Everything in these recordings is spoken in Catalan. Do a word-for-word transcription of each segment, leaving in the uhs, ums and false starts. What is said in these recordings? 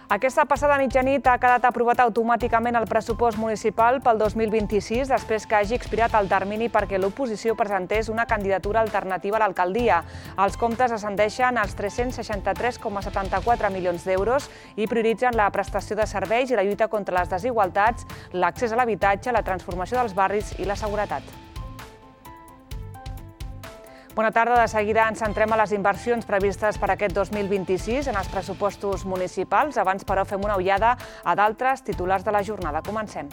Aquesta passada mitjanit ha quedat aprovat automàticament el pressupost municipal pel dos mil vint-i-sis després que hagi expirat el termini perquè l'oposició presentés una candidatura alternativa a l'alcaldia. Els comptes ascendeixen als tres-cents seixanta-tres coma setanta-quatre milions d'euros i prioritzen la prestació de serveis i la lluita contra les desigualtats, l'accés a l'habitatge, la transformació dels barris i la seguretat. Bona tarda. De seguida ens centrem a les inversions previstes per aquest dos mil vint-i-sis en els pressupostos municipals. Abans, però, fem una ullada a d'altres titulars de la jornada. Comencem.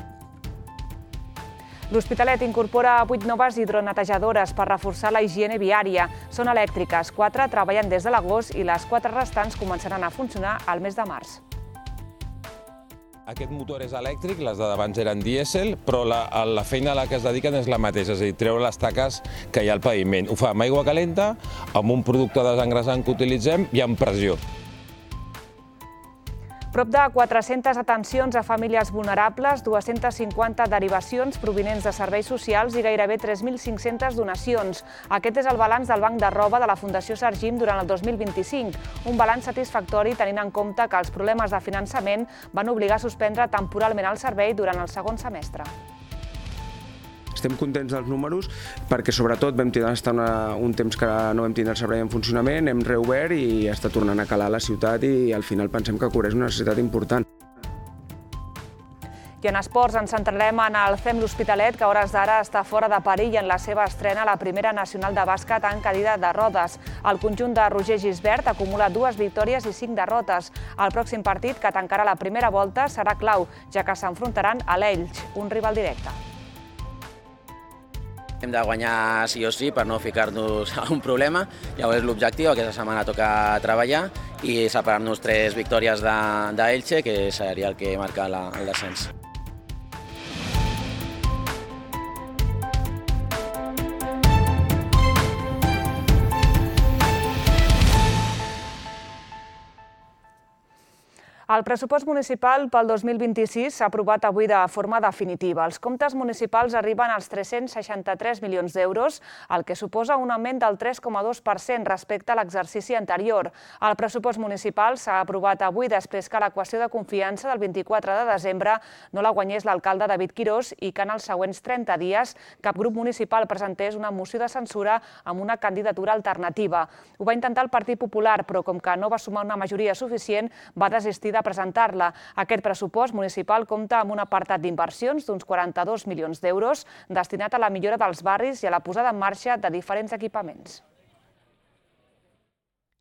L'Hospitalet incorpora vuit noves hidronetejadores per reforçar la higiene viària. Són elèctriques, quatre treballen des de l'agost i les quatre restants començaran a funcionar al mes de març. Aquest motor és elèctric, les de d'abans eren dièsel, però la, la feina a la que es dediquen és la mateixa, és a dir, treure les taques que hi ha al paviment. Ho fa amb aigua calenta, amb un producte desengrasant que utilitzem i amb pressió. Prop de quatre-centes atencions a famílies vulnerables, dues-centes cinquanta derivacions provinents de serveis socials i gairebé tres mil cinc-centes donacions. Aquest és el balanç del Banc de Roba de la Fundació Sargim durant el dos mil vint-i-cinc. Un balanç satisfactori tenint en compte que els problemes de finançament van obligar a suspendre temporalment el servei durant el segon semestre. Estem contents dels números perquè sobretot vam estar una, un temps que no vam tindre el servei en funcionament, hem reobert i està tornant a calar la ciutat i al final pensem que cobreix una necessitat important. I en esports ens centrarem en el C E M L'Hospitalet, que a hores d'ara està fora de perill en la seva estrena a la primera nacional de bàsquet en cadira de rodes. El conjunt de Roger Gisbert acumula dues victòries i cinc derrotes. El pròxim partit, que tancarà la primera volta, serà clau, ja que s'enfrontaran a l'Elx, un rival directe. Hem de guanyar sí o sí per no ficar-nos a un problema. Llavors l'objectiu aquesta setmana toca treballar i separar-nos tres victòries d'Elche, que seria el que marca el descens. El pressupost municipal pel dos mil vint-i-sis s'ha aprovat avui de forma definitiva. Els comptes municipals arriben als tres-cents seixanta-tres milions d'euros, el que suposa un augment del tres coma dos per cent respecte a l'exercici anterior. El pressupost municipal s'ha aprovat avui després que l'equació de confiança del vint-i-quatre de desembre no la guanyés l'alcalde David Quirós i que en els següents trenta dies cap grup municipal presentés una moció de censura amb una candidatura alternativa. Ho va intentar el Partit Popular, però com que no va sumar una majoria suficient, va desistir de presentar-la. Aquest pressupost municipal compta amb un apartat d'inversions d'uns quaranta-dos milions d'euros destinat a la millora dels barris i a la posada en marxa de diferents equipaments.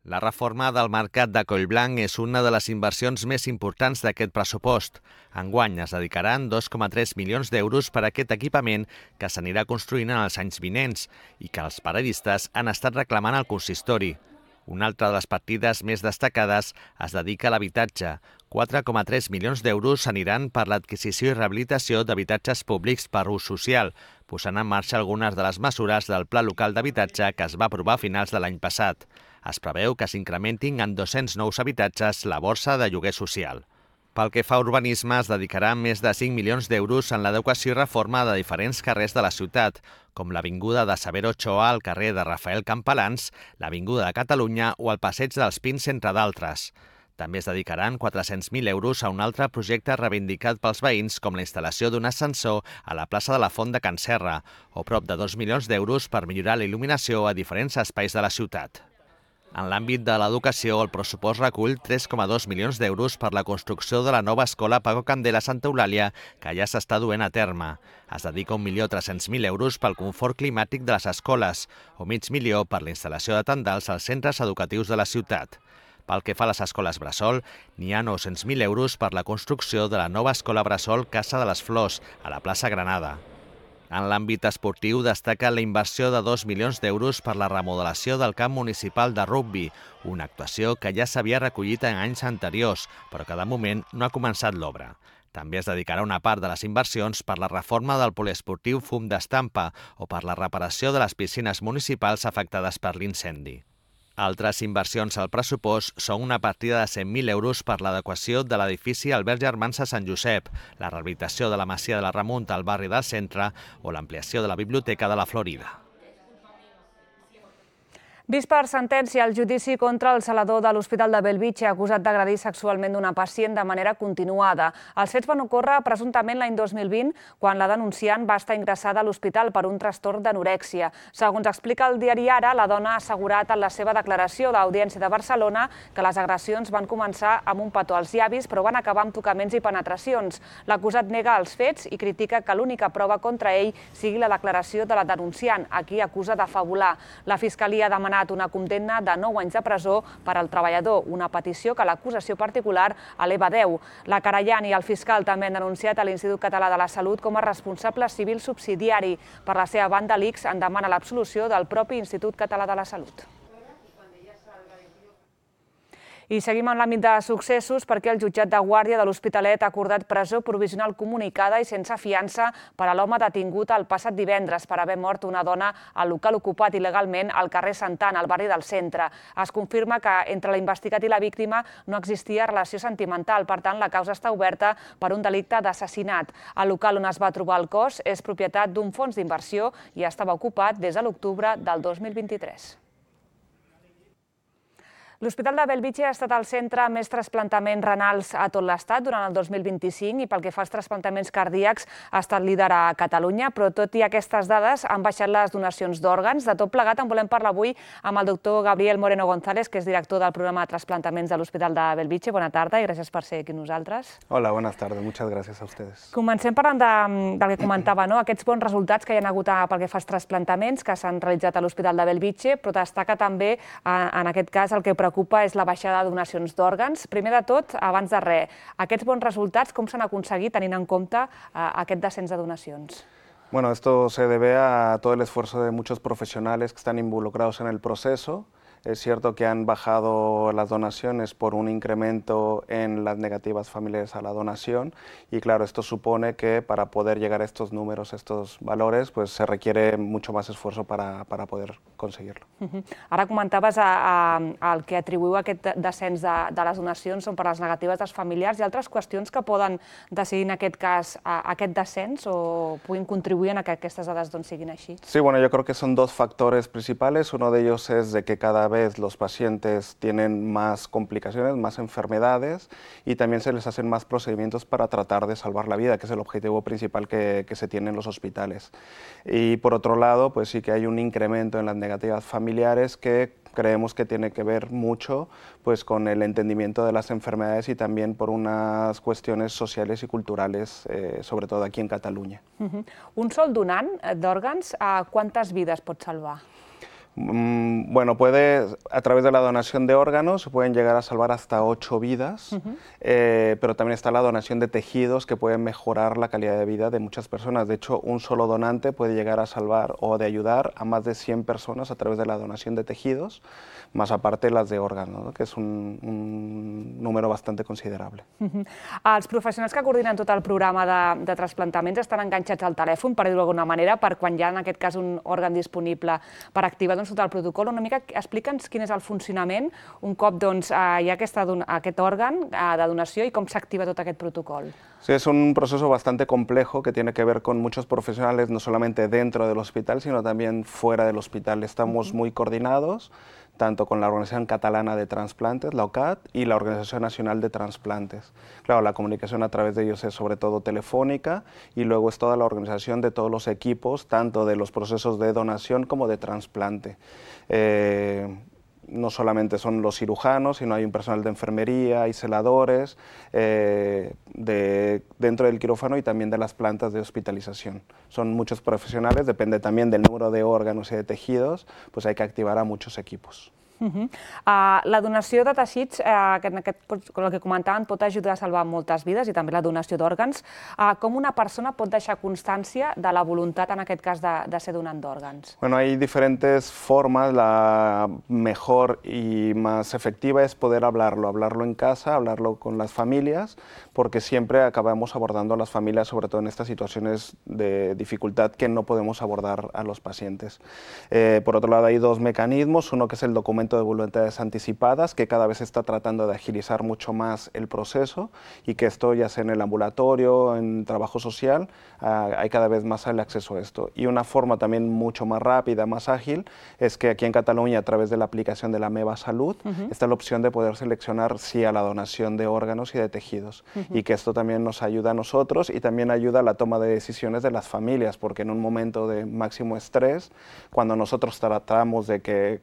La reforma del mercat de Collblanc és una de les inversions més importants d'aquest pressupost. Enguany es dedicaran dos coma tres milions d'euros per a aquest equipament que s'anirà construint en els anys vinents i que els paradistes han estat reclamant al consistori. Una altra de les partides més destacades es dedica a l'habitatge. quatre coma tres milions d'euros s'aniran per l'adquisició i rehabilitació d'habitatges públics per ús social, posant en marxa algunes de les mesures del Pla Local d'Habitatge que es va aprovar a finals de l'any passat. Es preveu que s'incrementin en dos-cents nous habitatges la borsa de lloguer social. Pel que fa a urbanisme, es dedicarà més de cinc milions d'euros en l'adequació i reforma de diferents carrers de la ciutat, com l'Avinguda de Severo Ochoa al carrer de Rafael Campalans, l'Avinguda de Catalunya o el Passeig dels Pins, entre d'altres. També es dedicaran quatre-cents mil euros a un altre projecte reivindicat pels veïns, com la instal·lació d'un ascensor a la plaça de la Font de Can Serra, o prop de dos milions d'euros per millorar la il·luminació a diferents espais de la ciutat. En l'àmbit de l'educació, el pressupost recull tres coma dos milions d'euros per la construcció de la nova escola Paco Candela a Santa Eulàlia, que ja s'està duent a terme. Es dedica un milió tres-cents mil euros pel confort climàtic de les escoles, o mig milió per la instal·lació de tendals als centres educatius de la ciutat. Pel que fa a les escoles bressol, n'hi ha nou-cents mil euros per la construcció de la nova escola bressol Casa de les Flors, a la plaça Granada. En l'àmbit esportiu destaca la inversió de dos milions d'euros per la remodelació del camp municipal de rugbi, una actuació que ja s'havia recollit en anys anteriors, però que de moment no ha començat l'obra. També es dedicarà una part de les inversions per la reforma del poliesportiu Fum d'Estampa o per la reparació de les piscines municipals afectades per l'incendi. Altres inversions al pressupost són una partida de cent mil euros per l'adequació de l'edifici Albert Germans a Sant Josep, la rehabilitació de la Masia de la Remunta al barri del Centre o l'ampliació de la Biblioteca de la Florida. Vist per sentència el judici contra el zelador de l'Hospital de Bellvitge acusat d'agredir sexualment una pacient de manera continuada. Els fets van ocórrer presumptament l'any dos mil vint, quan la denunciant va estar ingressada a l'hospital per un trastorn d'anorèxia. Segons explica el diari Ara, la dona ha assegurat en la seva declaració a l'Audiència de Barcelona que les agressions van començar amb un petó als llavis, però van acabar amb tocaments i penetracions. L'acusat nega els fets i critica que l'única prova contra ell sigui la declaració de la denunciant, a qui acusa de fabular. La Fiscalia ha demanat una condemna de nou anys de presó per al treballador, una petició que l'acusació particular eleva a deu. La querellant i el fiscal també han denunciat a l'Institut Català de la Salut com a responsable civil subsidiari. Per la seva banda, l'I C S en demana l'absolució del propi Institut Català de la Salut. I seguim en l'àmbit de successos perquè el jutjat de guàrdia de l'Hospitalet ha acordat presó provisional comunicada i sense fiança per a l'home detingut el passat divendres per haver mort una dona al local ocupat il·legalment al carrer Santana, al barri del centre. Es confirma que entre l'investigat i la víctima no existia relació sentimental, per tant la causa està oberta per un delicte d'assassinat. El local on es va trobar el cos és propietat d'un fons d'inversió i estava ocupat des de l'octubre del dos mil vint-i-tres. L'Hospital de Bellvitge ha estat el centre amb més trasplantaments renals a tot l'Estat durant el dos mil vint-i-cinc i pel que fa als trasplantaments cardíacs ha estat líder a Catalunya, però tot i aquestes dades han baixat les donacions d'òrgans. De tot plegat en volem parlar avui amb el doctor Gabriel Moreno González, que és director del programa de trasplantaments de l'Hospital de Bellvitge. Bona tarda i gràcies per ser aquí amb nosaltres. Hola, buenas tardes. Muchas gracias a ustedes. Comencem parlant de, del que comentava, no? Aquests bons resultats que hi ha hagut pel que fa als trasplantaments que s'han realitzat a l'Hospital de Bellvitge, però destaca també, en aquest cas, el que preocupa és la baixada de donacions d'òrgans. Primer de tot, abans de res, aquests bons resultats com s'han aconseguit tenint en compte aquest descens de donacions? Bueno, esto se debe a todo el esfuerzo de muchos profesionales que están involucrados en el proceso. Es cierto que han bajado las donaciones por un incremento en las negativas familiares a la donación y claro, esto supone que para poder llegar a estos números, a estos valores, pues se requiere mucho más esfuerzo para, para poder conseguirlo. Uh-huh. Ara comentaves a, a, el que atribuïu aquest descens de, de les donacions són per les negatives dels familiars i altres qüestions que poden decidir en aquest cas a, a aquest descens o puguin contribuir a que aquestes dades doncs, siguin així? Sí, bueno, yo creo que son dos factores principales. Uno de ellos es de que cada vez los pacientes tienen más complicaciones, más enfermedades y también se les hacen más procedimientos para tratar de salvar la vida, que es el objetivo principal que, que se tiene en los hospitales. Y por otro lado, pues sí que hay un incremento en las negativas familiares que creemos que tiene que ver mucho pues, con el entendimiento de las enfermedades y también por unas cuestiones sociales y culturales, eh, sobre todo aquí en Cataluña. Uh-huh. Un sol donant d'òrgans, ¿cuántas vidas pot salvar? Bueno, puede, a través de la donación de órganos se pueden llegar a salvar hasta ocho vidas, uh-huh. eh, pero también está la donación de tejidos que pueden mejorar la calidad de vida de muchas personas. De hecho, un solo donante puede llegar a salvar o de ayudar a más de cien personas a través de la donación de tejidos, más aparte las de órganos, ¿no? Que és un, un número bastante considerable. Uh-huh. Els professionals que coordinen tot el programa de, de trasplantaments estan enganxats al telèfon, per dir-ho d'alguna manera, per quan hi ha en aquest cas un òrgan disponible per activar doncs, tot el protocol. Una mica explica'ns quin és el funcionament un cop doncs, hi ha aquesta, aquest òrgan de donació i com s'activa tot aquest protocol. Sí, es un proceso bastante complejo que tiene que ver con muchos profesionales, no solamente dentro del hospital, sino también fuera del hospital. Estamos uh-huh. muy coordinados, tanto con la Organización Catalana de Transplantes, la O C A T, y la Organización Nacional de Transplantes. Claro, la comunicación a través de ellos es sobre todo telefónica y luego es toda la organización de todos los equipos, tanto de los procesos de donación como de trasplante. Eh, no solamente son los cirujanos, sino hay un personal de enfermería, hay celadores eh, de, dentro del quirófano y también de las plantas de hospitalización. Son muchos profesionales, depende también del número de órganos y de tejidos, pues hay que activar a muchos equipos. Uh-huh. uh, la donació de teixits, uh, que en aquest, el que comentaven, pot ajudar a salvar moltes vides i també la donació d'òrgans. Uh, com una persona pot deixar constància de la voluntat, en aquest cas, de, de ser donant d'òrgans? Bueno, hay diferentes formas. La mejor y más efectiva es poder hablarlo, hablarlo en casa, hablarlo con las familias, porque siempre acabamos abordando a las familias, sobre todo en estas situaciones de dificultad que no podemos abordar a los pacientes. Eh, por otro lado, hay dos mecanismos, uno que es el documento levantamiento de voluntades anticipadas, que cada vez se está tratando de agilizar mucho más el proceso y que esto ya sea en el ambulatorio, en trabajo social, uh, hay cada vez más el acceso a esto. Y una forma también mucho más rápida, más ágil, es que aquí en Cataluña, a través de la aplicación de la Meva Salud, uh-huh. está la opción de poder seleccionar sí a la donación de órganos y de tejidos. Uh-huh. Y que esto también nos ayuda a nosotros y también ayuda a la toma de decisiones de las familias, porque en un momento de máximo estrés, cuando nosotros tratamos de que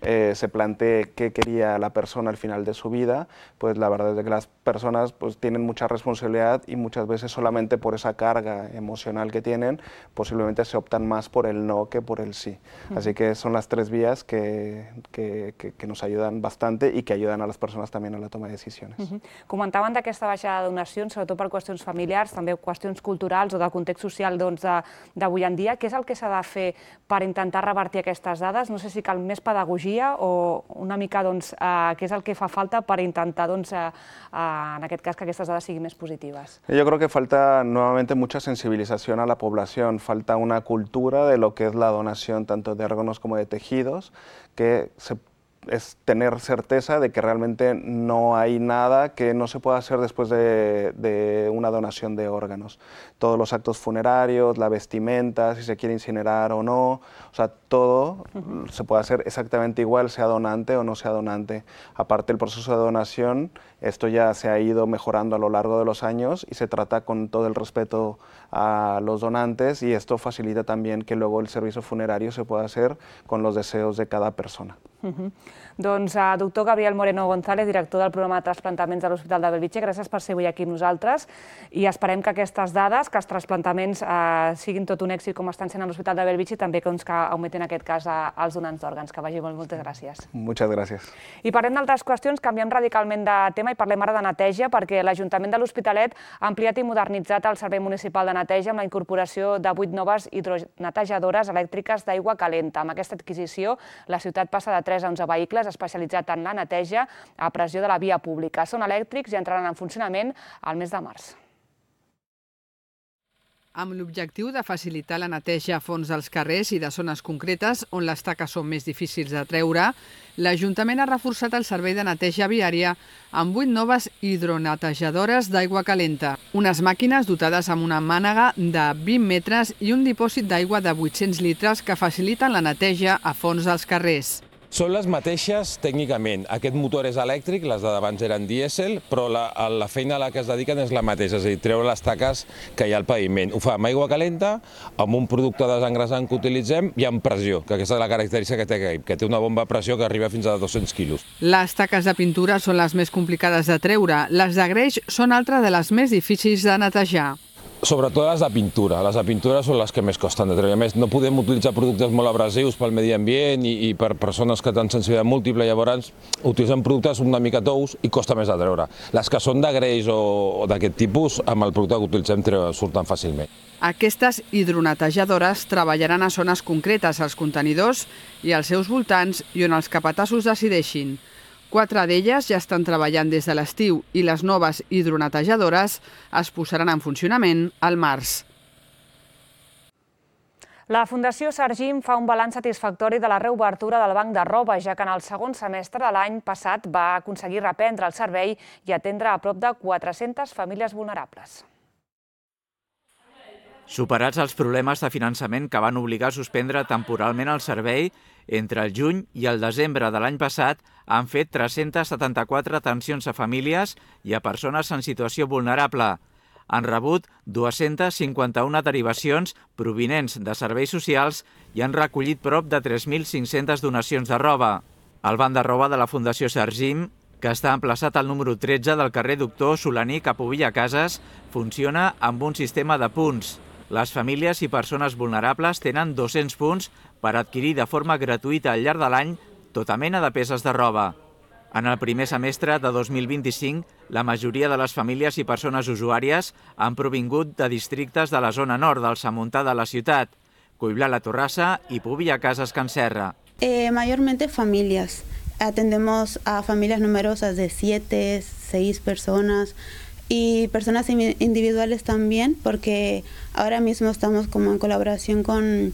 Eh, se plantee qué quería la persona al final de su vida, pues la verdad es que las personas pues, tienen mucha responsabilidad y muchas veces solamente por esa carga emocional que tienen, posiblemente se optan más por el no que por el sí. Uh-huh. Así que son las tres vías que, que, que, que nos ayudan bastante y que ayudan a les persones també a la toma de decisions. Uh-huh. Comentaven d'aquesta baixada de donacions, sobretot per qüestions familiars, també qüestions culturals o del context social doncs, d'avui en dia. Què és el que s'ha de fer per intentar revertir aquestes dades? No sé si cal més pedagogia o una mica doncs, eh, què és el que fa falta per intentar, doncs, eh, eh, en aquest cas, que aquestes dades siguin més positives? Yo creo que falta nuevamente mucha sensibilización a la población, falta una cultura de lo que es la donación tanto de órganos como de tejidos, que se es tener certeza de que realmente no hay nada que no se pueda hacer después de, de una donación de órganos. Todos los actos funerarios, la vestimenta, si se quiere incinerar o no, o sea, todo uh-huh. se puede hacer exactamente igual, sea donante o no sea donante. Aparte, el proceso de donación, esto ya se ha ido mejorando a lo largo de los años y se trata con todo el respeto a los donantes y esto facilita también que luego el servicio funerario se pueda hacer con los deseos de cada persona. Uh-huh. Doncs, uh, doctor Gabriel Moreno González, director del programa de trasplantaments de l'Hospital de Bellvitge, gràcies per ser avui aquí amb nosaltres i esperem que aquestes dades, que els trasplantaments uh, siguin tot un èxit com estan sent a l'Hospital de Bellvitge i també doncs, que augmentin en aquest cas uh, els donants d'òrgans. Que vagi molt, moltes gràcies. Moltes gràcies. I parlem d'altres qüestions, canviem radicalment de tema i parlem ara de neteja perquè l'Ajuntament de l'Hospitalet ha ampliat i modernitzat el Servei Municipal de Neteja amb la incorporació de vuit noves hidronetejadores elèctriques d'aigua calenta. Amb aquesta adquisició, la ciutat passa de tres a onze vehicles especialitzats en la neteja a pressió de la via pública. Són elèctrics i entraran en funcionament al mes de març. Amb l'objectiu de facilitar la neteja a fons dels carrers i de zones concretes on les taques són més difícils de treure, l'Ajuntament ha reforçat el servei de neteja viària amb vuit noves hidronetejadores d'aigua calenta. Unes màquines dotades amb una mànega de vint metres i un dipòsit d'aigua de vuit-cents litres que faciliten la neteja a fons dels carrers. Són les mateixes tècnicament. Aquest motor és elèctric, les de d'abans eren dièsel, però la, la feina a la que es dediquen és la mateixa, és a dir, treure les taques que hi ha al paviment. Ho fa amb aigua calenta, amb un producte desengrasant que utilitzem i amb pressió, que aquesta és la característica que té, que té una bomba a pressió que arriba fins a dos-cents quilos. Les taques de pintura són les més complicades de treure. Les de greix són altres de les més difícils de netejar. Sobretot les de pintura. Les de pintura són les que més costen de treure. A més, no podem utilitzar productes molt abrasius pel medi ambient i, i per persones que tenen sensibilitat múltiple, llavors utilitzen productes una mica tous i costa més de treure. Les que són de greix o, o d'aquest tipus, amb el producte que utilitzem surten fàcilment. Aquestes hidronetejadores treballaran a zones concretes, als contenidors i als seus voltants i on els capatassos decideixin. Quatre d'elles ja estan treballant des de l'estiu i les noves hidronetejadores es posaran en funcionament al març. La Fundació Sargim fa un balanç satisfactori de la reobertura del banc de roba, ja que en el segon semestre de l'any passat va aconseguir reprendre el servei i atendre a prop de quatre-centes famílies vulnerables. Superats els problemes de finançament que van obligar a suspendre temporalment el servei, entre el juny i el desembre de l'any passat han fet tres-centes setanta-quatre atencions a famílies i a persones en situació vulnerable. Han rebut dues-centes cinquanta-una derivacions provinents de serveis socials i han recollit prop de tres mil cinc-centes donacions de roba. El banc de roba de la Fundació Sargim, que està emplaçat al número tretze del carrer Doctor Solaní cap a Villacases, funciona amb un sistema de punts. Les famílies i persones vulnerables tenen dos-cents punts per adquirir de forma gratuïta al llarg de l'any tota mena de peces de roba. En el primer semestre de dos mil vint-i-cinc, la majoria de les famílies i persones usuàries han provingut de districtes de la zona nord del Samontà de la ciutat, Coiblà la Torrassa y Villacases Can Serra. Eh, mayormente familias. Atendemos a familias numerosas de siete, seis personas. Y personas individuales también, porque ahora mismo estamos como en colaboración con,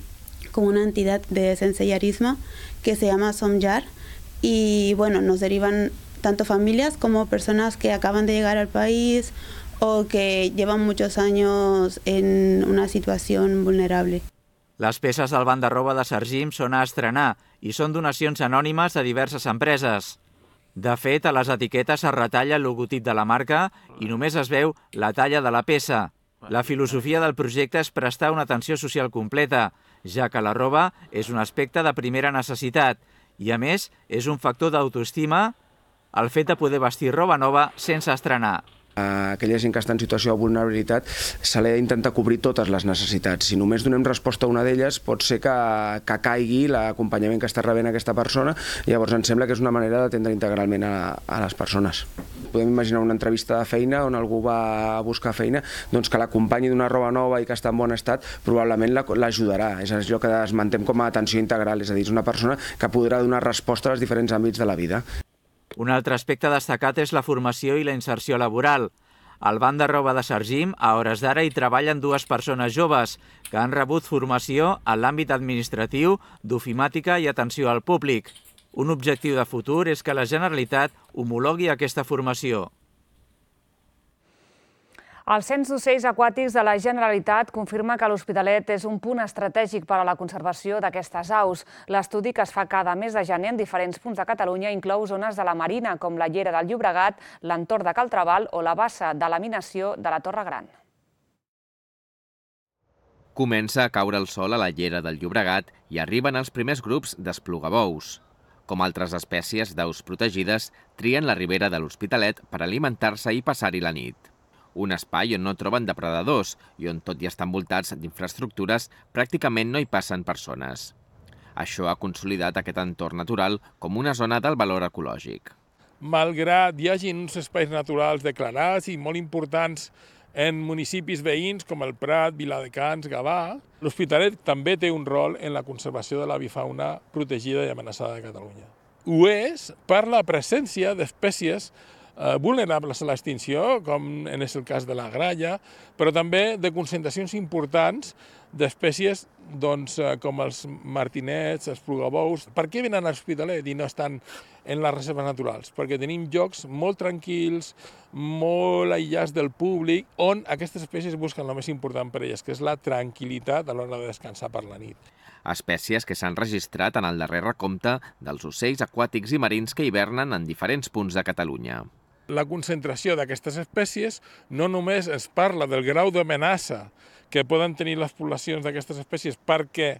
con una entidad de sensellarismo que se llama Somjar, y bueno, nos derivan tanto familias como personas que acaban de llegar al país o que llevan muchos años en una situación vulnerable. Les peces del banc de roba de Sargim són a estrenar i són donacions anònimes de diverses empreses. De fet, a les etiquetes es retalla el logotip de la marca i només es veu la talla de la peça. La filosofia del projecte és prestar una atenció social completa, ja que la roba és un aspecte de primera necessitat i, a més, és un factor d'autoestima el fet de poder vestir roba nova sense estrenar. A aquella gent que està en situació de vulnerabilitat se li ha d'intentar cobrir totes les necessitats. Si només donem resposta a una d'elles, pot ser que, que caigui l'acompanyament que està rebent aquesta persona. Llavors em sembla que és una manera d'atendre integralment a, a les persones. Podem imaginar una entrevista de feina on algú va a buscar feina, doncs que l'acompanyi d'una roba nova i que està en bon estat, probablement l'ajudarà. És allò que esmentem com a atenció integral, és a dir, és una persona que podrà donar resposta als diferents àmbits de la vida. Un altre aspecte destacat és la formació i la inserció laboral. Al banc de roba de Sargim, a hores d'ara, hi treballen dues persones joves que han rebut formació en l'àmbit administratiu, d'ofimàtica i atenció al públic. Un objectiu de futur és que la Generalitat homologui aquesta formació. El Cens d'Ocells Aquàtics de la Generalitat confirma que l'Hospitalet és un punt estratègic per a la conservació d'aquestes aus. L'estudi, que es fa cada mes de gener en diferents punts de Catalunya, inclou zones de la Marina, com la Llera del Llobregat, l'entorn de Cal Trabal o la bassa de laminació de la Torre Gran. Comença a caure el sol a la Llera del Llobregat i arriben els primers grups d'esplugabous. Com altres espècies d'aus protegides, trien la ribera de l'Hospitalet per alimentar-se i passar-hi la nit. Un espai on no troben depredadors i on, tot i estar envoltats d'infraestructures, pràcticament no hi passen persones. Això ha consolidat aquest entorn natural com una zona d'alt valor ecològic. Malgrat hi hagi uns espais naturals declarats i molt importants en municipis veïns com el Prat, Viladecans, Gavà, l'Hospitalet també té un rol en la conservació de l'avifauna protegida i amenaçada de Catalunya. Ho és per la presència d'espècies vulnerables a l'extinció, com és el cas de la gralla, però també de concentracions importants d'espècies com els martinets, els plugabous. Per què venen a l'Hospitalet i no estan en les reserves naturals? Perquè tenim llocs molt tranquils, molt aïllats del públic, on aquestes espècies busquen el més important per elles, que és la tranquil·litat a l'hora de descansar per la nit. Espècies que s'han registrat en el darrer recompte dels ocells aquàtics i marins que hivernen en diferents punts de Catalunya. La concentració d'aquestes espècies no només es parla del grau d'amenaça que poden tenir les poblacions d'aquestes espècies perquè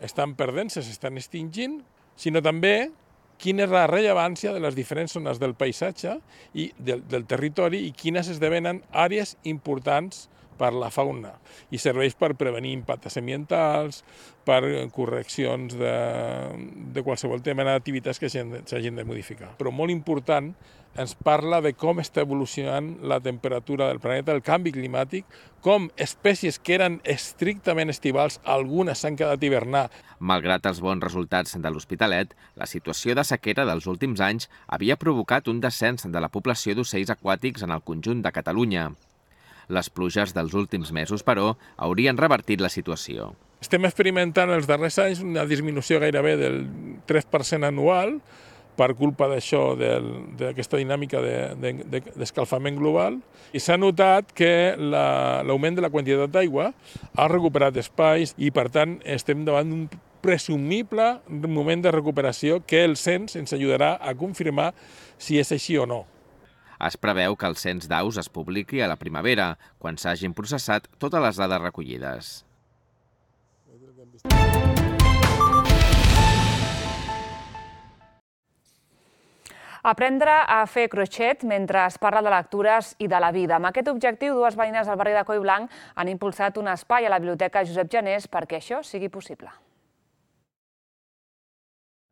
estan perdent-se, s'estan extingint, sinó també quina és la rellevància de les diferents zones del paisatge i del, del territori i quines esdevenen àrees importants per la fauna i serveix per prevenir impactes ambientals, per correccions de, de qualsevol tema d'activitats que s'hagin de modificar. Però molt important, ens parla de com està evolucionant la temperatura del planeta, el canvi climàtic, com espècies que eren estrictament estivals, algunes s'han quedat a hivernar. Malgrat els bons resultats de l'Hospitalet, la situació de sequera dels últims anys havia provocat un descens de la població d'ocells aquàtics en el conjunt de Catalunya. Les pluges dels últims mesos, però, haurien revertit la situació. Estem experimentant els darrers anys una disminució gairebé del tres per cent anual per culpa d'això, d'aquesta dinàmica d'escalfament global. I s'ha notat que l'augment de la quantitat d'aigua ha recuperat espais i, per tant, estem davant d'un presumible moment de recuperació que el cens ens ajudarà a confirmar si és així o no. Es preveu que el cens d'aus es publiqui a la primavera, quan s'hagin processat totes les dades recollides. Aprendre a fer crochet mentre es parla de lectures i de la vida. Amb aquest objectiu, dues veïnes del barri de Collblanc han impulsat un espai a la Biblioteca Josep Janés perquè això sigui possible.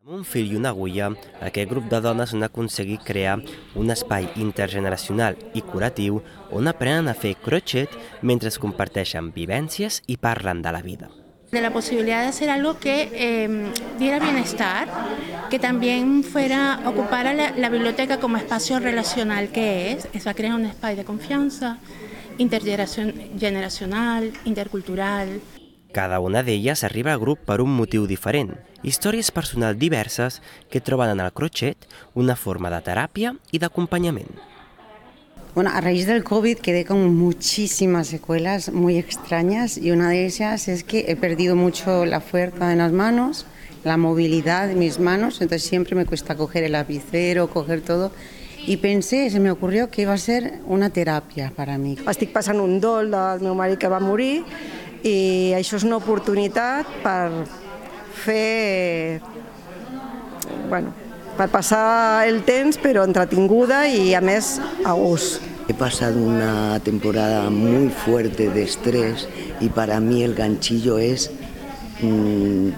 Amb un fil i una agulla, aquest grup de dones han aconseguit crear un espai intergeneracional i curatiu on aprenen a fer crochet mentre comparteixen vivències i parlen de la vida. De la posibilidad de hacer algo que eh, diera bienestar, que también fuera, ocupara la, la biblioteca como espacio relacional que es, es va a crear un espacio de confianza, intergeneracional, intercultural. Cada una d'elles arriba al grup per un motiu diferent, històries personals diverses que troben en el crochet una forma de teràpia y de acompañamiento. Bueno, a raíz del COVID quedé con muchísimas secuelas muy extrañas y una de ellas es que he perdido mucho la fuerza en las manos, la movilidad de mis manos, entonces siempre me cuesta coger el lapicero, coger todo. I pensé, se m'ocorrió que iba a ser una teràpia per a mi. Estic passant un dol del meu marit que va morir i això és una oportunitat per fer, bueno, per passar el temps però entretinguda y a més a gust. He pasado una temporada muy fuerte de estrés y para mí el ganchillo es mmm,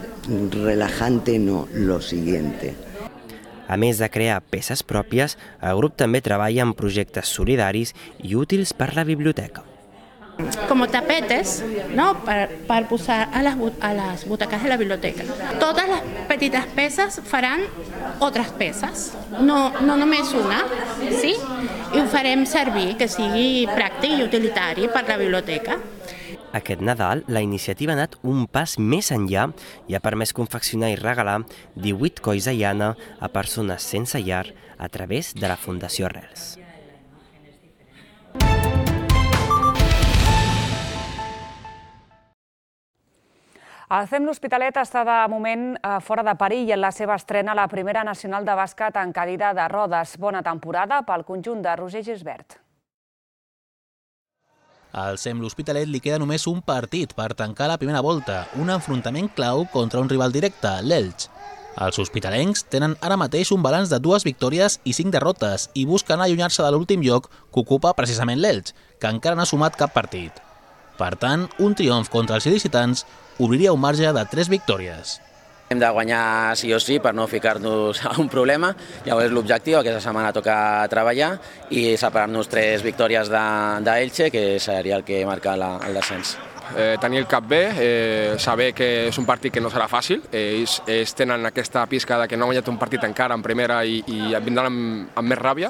relajante, no, lo siguiente. A més de crear peces pròpies, el grup també treballa en projectes solidaris i útils per la biblioteca. Como tapetes, ¿no? Para, para posar a las, a las butacas de la biblioteca. Todas las petitas peces farán otras peces, no, no només una, sí? I ho farem servir, que sigui pràctic i utilitari per la biblioteca. Aquest Nadal, la iniciativa ha anat un pas més enllà i ha permès confeccionar i regalar divuit colls de llana a persones sense llar a través de la Fundació Arrels. El C E M L'Hospitalet està de moment fora de perill en la seva estrena a la Primera Nacional de Bàsquet en cadira de rodes. Bona temporada pel conjunt de Roger Gisbert. Al C E M L'Hospitalet li queda només un partit per tancar la primera volta, un enfrontament clau contra un rival directe, l'Elx. Els hospitalencs tenen ara mateix un balanç de dues victòries i cinc derrotes i busquen allunyar-se de l'últim lloc que ocupa precisament l'Elx, que encara no ha sumat cap partit. Per tant, un triomf contra els il·licitants obriria un marge de tres victòries. Hem de guanyar sí o sí per no ficar-nos a un problema. Llavors l'objectiu aquesta setmana toca treballar i separar-nos tres victòries d'Elche, que seria el que marca el descens. Eh, tenir el cap bé, eh, saber que és un partit que no serà fàcil. Ells, ells tenen aquesta pista de que no han guanyat un partit encara en primera i, i vindran amb, amb més ràbia,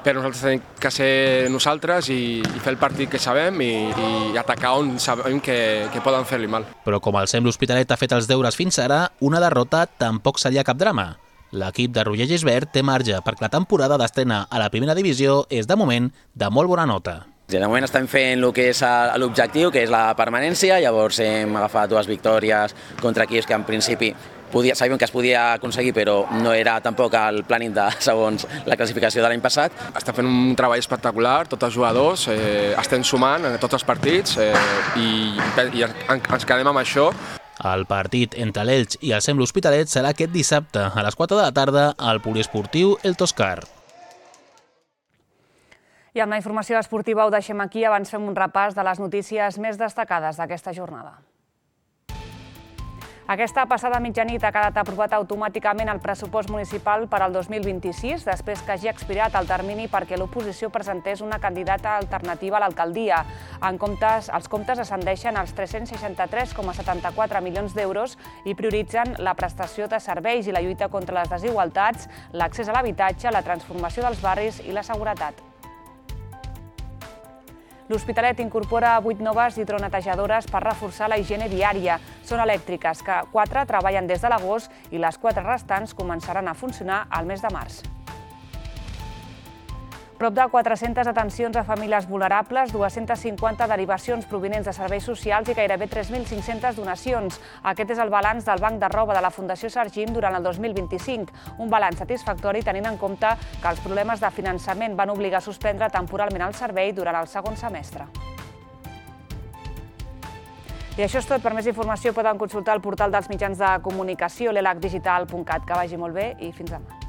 però nosaltres tenim que ser nosaltres i, i fer el partit que sabem i, i atacar on sabem que, que poden fer-li mal. Però com el C E M L'Hospitalet ha fet els deures fins ara, una derrota tampoc seria cap drama. L'equip de Roger Gisbert té marge perquè la temporada d'estrena a la primera divisió és de moment de molt bona nota. De moment estem fent el que és l'objectiu, que és la permanència, llavors hem agafat dues victòries contra equips que en principi podia, sabíem que es podia aconseguir, però no era tampoc el planning de segons la classificació de l'any passat. Estem fent un treball espectacular, tots els jugadors, eh, estem sumant en tots els partits eh, i, i ens quedem amb això. El partit entre l'Elx i el C E M L'Hospitalet serà aquest dissabte a les quatre de la tarda al poliesportiu El Toscar. I amb la informació esportiva ho deixem aquí, abans fem un repàs de les notícies més destacades d'aquesta jornada. Aquesta passada mitjanit ha quedat aprovat automàticament el pressupost municipal per al dos mil vint-i-sis, després que hagi expirat el termini perquè l'oposició presentés una candidata alternativa a l'alcaldia. En comptes, els comptes ascendeixen als tres-cents seixanta-tres coma setanta-quatre milions d'euros i prioritzen la prestació de serveis i la lluita contra les desigualtats, l'accés a l'habitatge, la transformació dels barris i la seguretat. L'Hospitalet incorpora vuit noves hidronetejadores per reforçar la higiene viària. Són elèctriques, que quatre treballen des de l'agost i les quatre restants començaran a funcionar al mes de març. Prop de quatre-centes atencions a famílies vulnerables, dues-centes cinquanta derivacions provinents de serveis socials i gairebé tres mil cinc-centes donacions. Aquest és el balanç del Banc de Roba de la Fundació Sargim durant el dos mil vint-i-cinc. Un balanç satisfactori tenint en compte que els problemes de finançament van obligar a suspendre temporalment el servei durant el segon semestre. I això és tot. Per més informació poden consultar el portal dels mitjans de comunicació, l'elac digital punt cat. Que vagi molt bé i fins demà.